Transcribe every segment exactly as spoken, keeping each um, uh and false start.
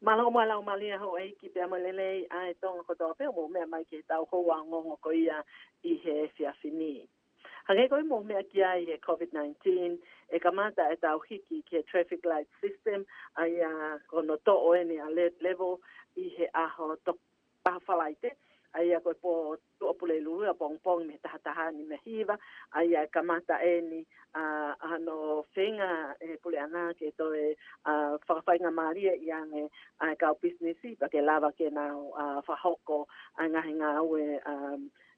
Mālō mo e laumālie houʻeiki pea mo e lelei ʻa e Tonga kotoa pē ʻoku mou meʻa mai ki heʻetau houa ongoongo ko ia ʻi he efiafi ni. Hangē ko ia ʻoku mou meʻa ki ai he COVID-nineteen, ʻe kamata ʻetau hiki ki he traffic light system, ʻa ia ko hono toʻo eni ʻa alert level ʻi he ʻaho tok-, ʻaho Falaite, ʻa ia ko e pō Tuʻapulelulu ʻapongipongi mei he taha taha ni mei he hiva, ʻa ia ʻe kamata eni, ʻa, ʻa hono feinga ʻe he puleʻanga ke toe, ʻa, fakafaingamālie ʻi ange ʻa e kau pisinisi, pea ke lava ke nau, ʻa, fakahoko ʻa e ngaahi ngāue, ʻa,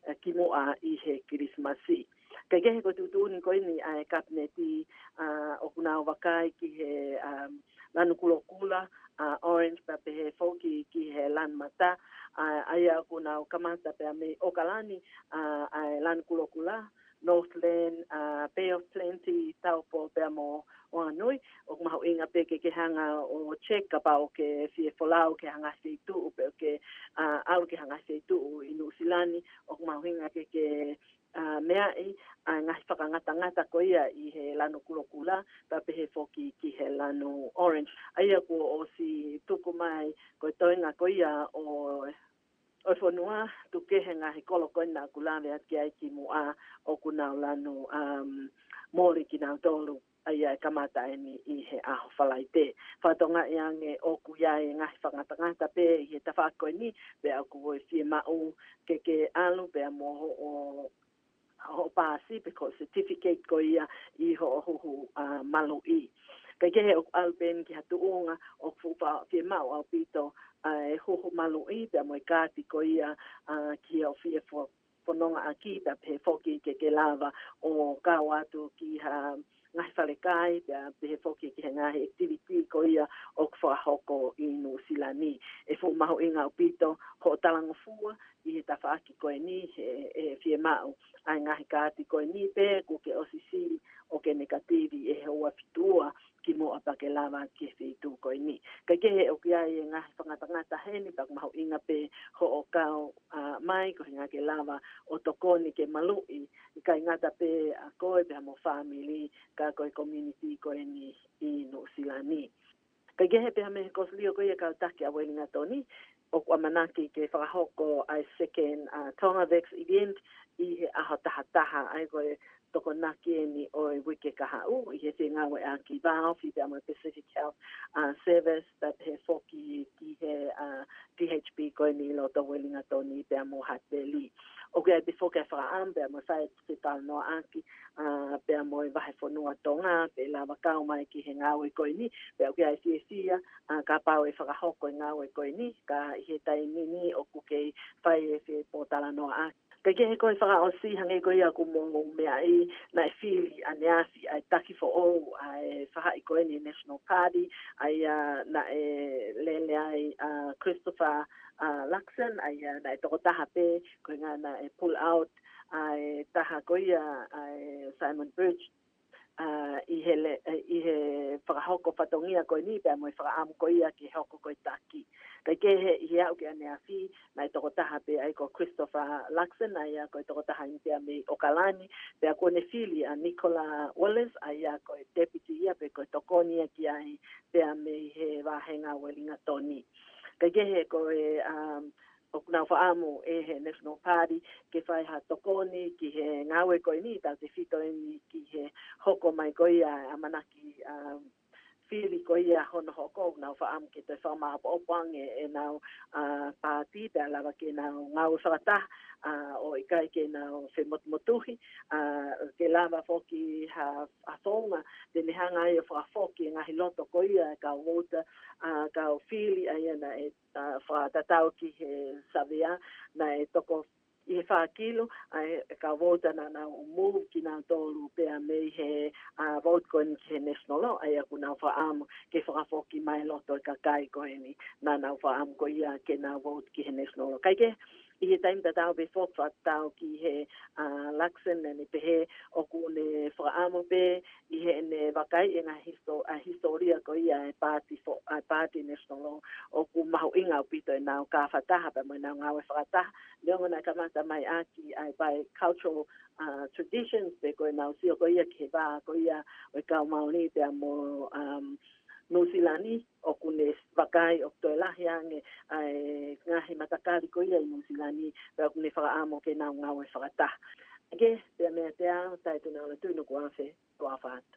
ʻa, kimuʻa ʻi he Kilisimasi. Kae kehe ko e tuʻutuʻuni ko eni ʻa e Kapineti, ʻa, ʻoku nau vakai ki he, ʻa, lanu kulokula, ʻa, orange pea pehē foki ki he lanu mata, ʻa, ʻa ia ʻoku nau kamata pea mei ʻOkalani, ʻa, ʻa e lanu kulokula, Northland, ʻa, Bay of Plenty, Taupo pea mo Wanganui, ʻoku mahuʻinga pē ke ke hanga ʻo check kapau ʻoku ke fie folau ki ha ngaahi feituʻu, pe ʻoku ke, ʻa, ʻalu ki ha ngaahi feituʻu ʻi Nuʻusila ni, ʻoku mahuʻinga ke ke, ʻa, meaʻi ʻa e ngaahi fakangatangata ko ia ʻi he lanu kulokula, pea pehē foki ki he lanu orange. ʻA ia kuo ʻosi tuku mai ko e toenga ko ia ʻo, ʻo e fonua, tuku kehe ngaahi kolo ko ena ʻoku lave atu ki ai kimuʻa ʻoku nau lanu, um, moli kinautolu, ʻa ia ʻe kamata eni ʻi he ʻaho Falaite. Fakatokangaʻi ange ʻoku ʻi ai e ngaahi fakangatangata pē ʻi he tafaʻaki ko eni, pea ʻoku ʻi ai e fiemaʻu ke ke ʻalu pea mo hoʻo, hoʻo paasi pe ko e certificate ko ia ʻi hoʻo huhu, ʻa, maluʻi. Kae kehe ʻoku ʻalu pē eni ki ha tuʻunga ʻoku fuʻu fa-, fiemaʻu ʻaupito, ʻa, e huhu maluʻi pea mo e kaati ko ia, ʻa, ki hoʻo fie fo-, fonongaʻaki pea pehē foki ke ke lava ʻo kau atu ki ha ngaahi falekai pea pehē foki ki he ngaahi activity ko ia ʻoku fakahoko ʻi Nuʻusila ni. ʻE fuʻu mahuʻinga ʻaupito hoʻo talangofua ʻi he tafaʻaki ko eni he, he fiemaʻu ʻa e ngaahi kaati ko eni pe kuo ke ʻosi sio ʻoku ke nekativi ʻi he houa fitu ua kimuʻa pea ke lava ki he feituʻu ko eni. Kae kehe ʻoku ʻi ai e ngaahi fakangatangata heni pea ʻoku mahuʻinga pē hoʻo kau, ʻa, mai koeʻuhi ke lava ʻo tokoni ke maluʻi, ʻikai ngata pē ʻa koe pea mo e fāmili ka ko e community ko eni ʻi Nuʻusila ni. Kae kehe pea mei he kosilio ko ia kau taki ʻa Uelingatoni, ʻoku ʻamanaki ke fakahoko ʻa e second, ʻa, Tonga Vax event ʻi he ʻaho taha taha, ʻa ia ko e Tokonaki eni ʻo e uike kahaʻu ʻi he fengāueʻaki vao, fī pea mo e Pacific Health, ʻa, Service, pea pehē foki ki he, ʻa, T H P ko eni ʻi loto Uelingatoni pea mo Hutt Valley. ʻOku ʻi ai pē foki e fakaʻamu pea mo e fai e talanoaʻaki, ʻa, pea mo e Vahefonua Tonga, pea lava kau mai ki he ngāue ko eni, pea ʻoku ʻi ai e fiefia, ʻa, kapau ʻe fakahoko e ngāue ko eni, ka ʻi he taimi ni ʻoku kei fai e fepōtalanoaʻaki. Kae kehe ko e fakaʻosi hangē ko ia ʻoku mou meaʻi naʻe fili ʻaneafi ʻa e taki foʻou ʻa e faʻahi ko eni National Party, ʻa ia naʻe lele ai ʻa Christopher, ʻa, Luxon, ʻa ia naʻe tokotaha pē, ko e ngana e pull out, ʻa e taha ko ia, ʻa e Simon Birch, ʻa, ʻi he le-, ʻi he fakahoko fatongia ko eni pea mo e fakaʻamu ko ia ke hoko ko e taki. Kae kehe ʻi he aʻu ki ʻaneafi, naʻe tokotaha pē ʻa ia ko Christopher Luxon, ʻa ia ko e tokotaha eni pea mei ʻOkalani, pea kuo ne fili ʻa Nicola Willis, ʻa ia ko e deputy ia pe ko e tokoni ia ki ai pea mei he vāhenga Uelingatoni. Kae kehe ko e, um, ʻoku nau fakaʻamu ʻe he National Party ke fai ha tokoni ki he ngāue ko eni, tautefito eni ki he hoko mai ko ia ʻamanaki, um, fili ko ia hono hoko, ʻoku nau fakaʻamu ke toe fakamāʻopoʻopo ange ʻenau, ʻa, paati, pea lava ke nau ngāue fakataha, ʻa, ʻo ʻikai ke nau femotumotuhi, ʻa, ke lava foki ha, ha founga te ne hanga ai ʻo fakafoki e ngaahi loto ko ia e kau vouti, ʻa, kau fili ʻa ia naʻe, ʻa, fakatatau ki he savea naʻe toko ʻi he fā kilu, ʻa e, e kau vouti naʻa nau move kinautolu pea mei he, ʻa, vouti ko eni ki he National, ʻa ia ʻoku nau fakaʻamu ke fakafoki mai loto e kakai ko eni naʻa nau fakaʻamu ko ia ke nau vouti ki he National. Kae kehe, ʻi he taimi tatau pē foki fakatatau ki he, ʻa, Luxon, naʻa ne pehē ʻoku ne fakaʻamu pē ʻi heʻene vakai e ngaahi histo-, ʻa, hisitōlia ko ia e paati fo-, ʻa, paati National, ʻoku mahuʻinga ʻaupito ʻenau kau fakataha pea mo ʻenau ngāue fakataha. Neongo naʻe kamata mai ʻaki ʻa e bicultural, ʻa, traditions pe ko ʻenau sio ko ia ki he vā ko ia ʻo e kau Māori pea mo, um, Nuʻusila ni, ʻoku ne vakai ʻoku toe lahi ange ʻa e ngaahi matakali ko ia ʻi Nuʻusila ni, pea ʻoku ne fakaʻamu ke nau ngāue fakataha. Ke pea mea te au, Taitunaʻola Tuʻinukuafe, ʻofa atu.